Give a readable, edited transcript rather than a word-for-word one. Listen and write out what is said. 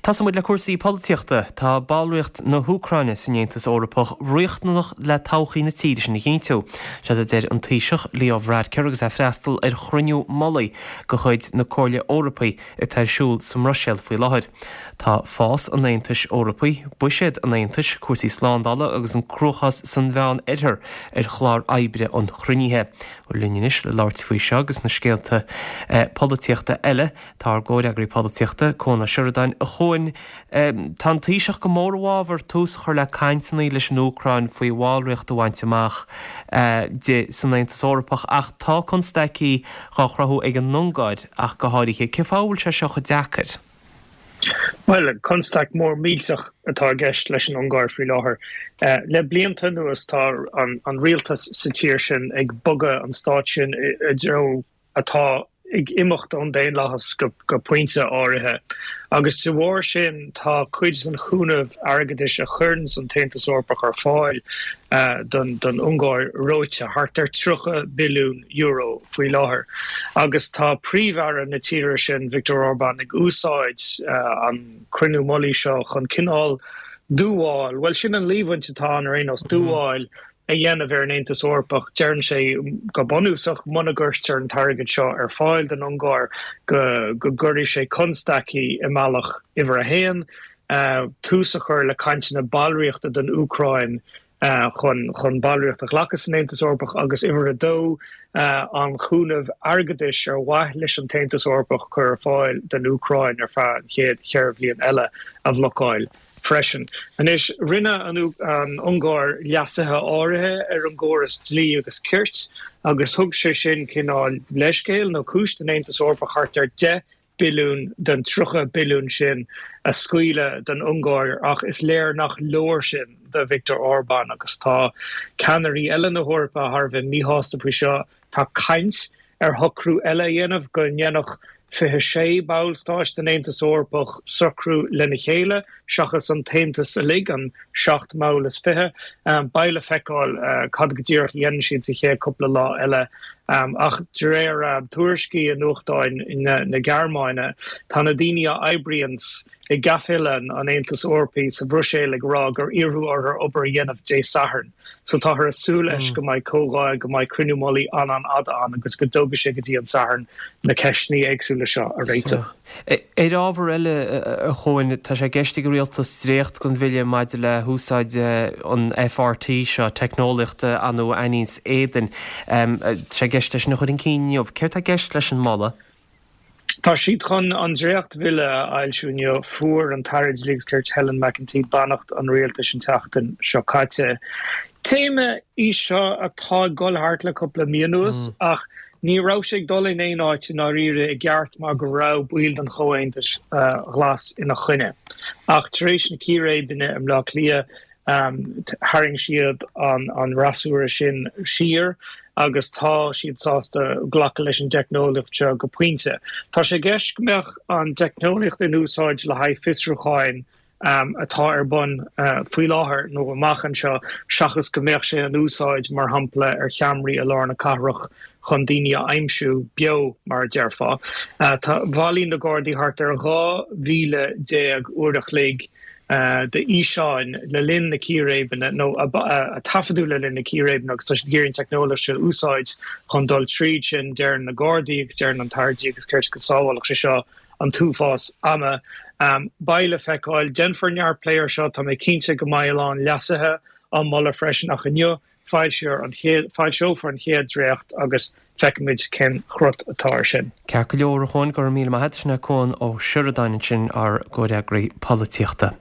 Tosóidh muid le cúrsaí polaitíochta. Tá ballraíocht na hÚcráine san Aontas Eorpach riachtanach le todhchaí na tíre sin a chinntiú. Seo a deir an Taoiseach Leo Varadkar agus é ag freastal ar chruinniú mullaigh de chuid na Comhairle Eorpaí atá ar siúl sa mBruiséil faoi láthair. Tá fás an Aontais Eorpaigh, buiséad an Aontais, cúrsaí slándála agus an cruachás san Mheán Oirthear ar chlár oibre an chruinnithe. Linn anois le labhairt faoi seo agus na scéalta polaitíochta eile, Tá ár gcomhfhreagraí polaitíochta, Cuan Ó Seireadáin. A Chuain, tá an Taoiseach go mór i bhfabhar tús a chur le cainteanna leis an Úcráin faoi bhallraíocht a bhaint amach di san Aontas Eorpach ach tá constaicí dhá chruthú ag an Ungáir ach go háirithe. Cén fáth a bhfuil sé seo chomh deacair? Bhuel, constaic mhór millteach atá i gceist leis an Ungáir faoi láthair. Le blianta anuas tá an rialtas sa tír sin ag bogadh an stát sin i dtreo atá ag imeacht ón daonlathas go pointe áirithe, agus de bharr sin tá cuid den chúnamh airgeadais a chuireanns an tAontas Eorpach ar fáil don Ungáir reoite, thart ar €30 billiún faoi láthair. Agus tá Príomh-Aire na tíre sin, Viktor Orbán, ag úsáid an cruinniú mullaigh seo chun cineál dúmhál, bhuel sin an líomhaint atá ann ar aon nós, dúmhál a dhéanamh ar an Aontas Eorpach. Deireann sé go bunúsach, muna gcuirtear an t-airgead seo ar fáil don Ungáir, go gcuirfidh sé constaicí i mbealach uimhir a haon, tús a chur le cainteanna ballraíochta don Úcráin chun ballraíocht a ghlacadh san Aontas Eorpach agus uimhir a dó, an cúnamh airgeadais ar mhaith leis an tAontas Eorpach cur ar fáil don Úcráin ar feadh an chéad cheithre bhliain eile a bhlocáil. freisin. Anois, rinne an Ungáir leasuithe áirithe ar an gcóras dlí agus cirt agus thug sé sin cineál leithscéil nó cúis don Aontas Eorpach thart ar 10 billiún den 30 billiún sin a scaoileadh don Ungáir ach is léir nach leor sin do Viktor Orbán agus tá ceannairí eile na hEorpa thar a bheith míshásta faoi seo. Tá caint ar shocrú eile a dhéanamh, go ndéanfadh 26 ballstáit den Aontas Eorpach socrú lena chéile, seachas an tAontas uilig, an seacht mball is fiche. Beidh le feiceáil cad go díreach a dhéanann siad sa chéad cúpla lá eile. Ach de réir tuairiscí i nuachtáin na Gearmáine, tá na daoine a oibríonns i gcaifélann an Aontais Eorpaigh sa Bhruiséil ag rá gur iarradh orthu obair a dhéanamh Dé Sathairn. So táthar ag súil leis go mbeidh comhdháil, go mbeidh cruinniú mullaigh an-an-fhada ann agus go dtógfaidh sé go dtí an Satharn na ceisteanna éagsúla seo a réiteach. Ar ábhar eile, a Chuain, tá sé i gceist ag an Rialtas dréacht den bhille maidir le húsáid an FRT seo, teicneolaíocht a aithníonns éadain, tá sé i gceist é sin a chur chun cinn inniu. Céard tá i gceist leis an moladh? Tá siad chun an dréachtbhille a fhoilsiú inniu. Fuair an tAire Dlí agus Cirt Helen McEntee beannacht an rialtais an tseachtain seo caite. Téama í seo atá ag dul thart le cúpla mí anuas ach ní raibh sé ag dul in aon áit i ndáiríre i gceart mar go raibh baill den Chomhaontas Ghlas ina choinne. Ach tar éis na círéibeanna i mBleá Cliath, Tharraing siad an fhreasúra sin siar agus tá siad sásta glacadh leis an dteicneolaíocht seo go pointe. Tá sé i gceist go mbeadh an teicneolaíocht in úsáid le haghaidh fiosrúcháin atá ar bun faoi láthair nó amach anseo seachas go mbeadh sé in úsáid, mar shampla, ar cheamaraí i lár na cathrach chun daoine a aimsiú beo, mar a déarfá. Bhailigh na Gardaí thart ar 12,000 uair a chloig d'fhíseáin le linn na círéibeanna, nó a taifeadadh le linn na círéibeanna agus tá siad ag iarraidh an teicneolaíocht seo a úsáid chun dul tríd sin, deireann na Gardaí agus deireann an tAire Dlí agus Cirt go sábhálfadh sé seo an t-uafás ama. Beidh le feiceáil. Déanfar neart plé air seo, tá mé cinnte go mbeidh a lán leasuithe á moladh freisin ach inniu Foilseofar an chéad, foilseofar an chéad dréacht agus feicfimid cén cruth atá air sin. Ceart go leor, a Chuain, go raibh míle maith agat. Sin é Cuan Ó Seireadáin ansin, ár gcomhfhreagraí polaitíochta.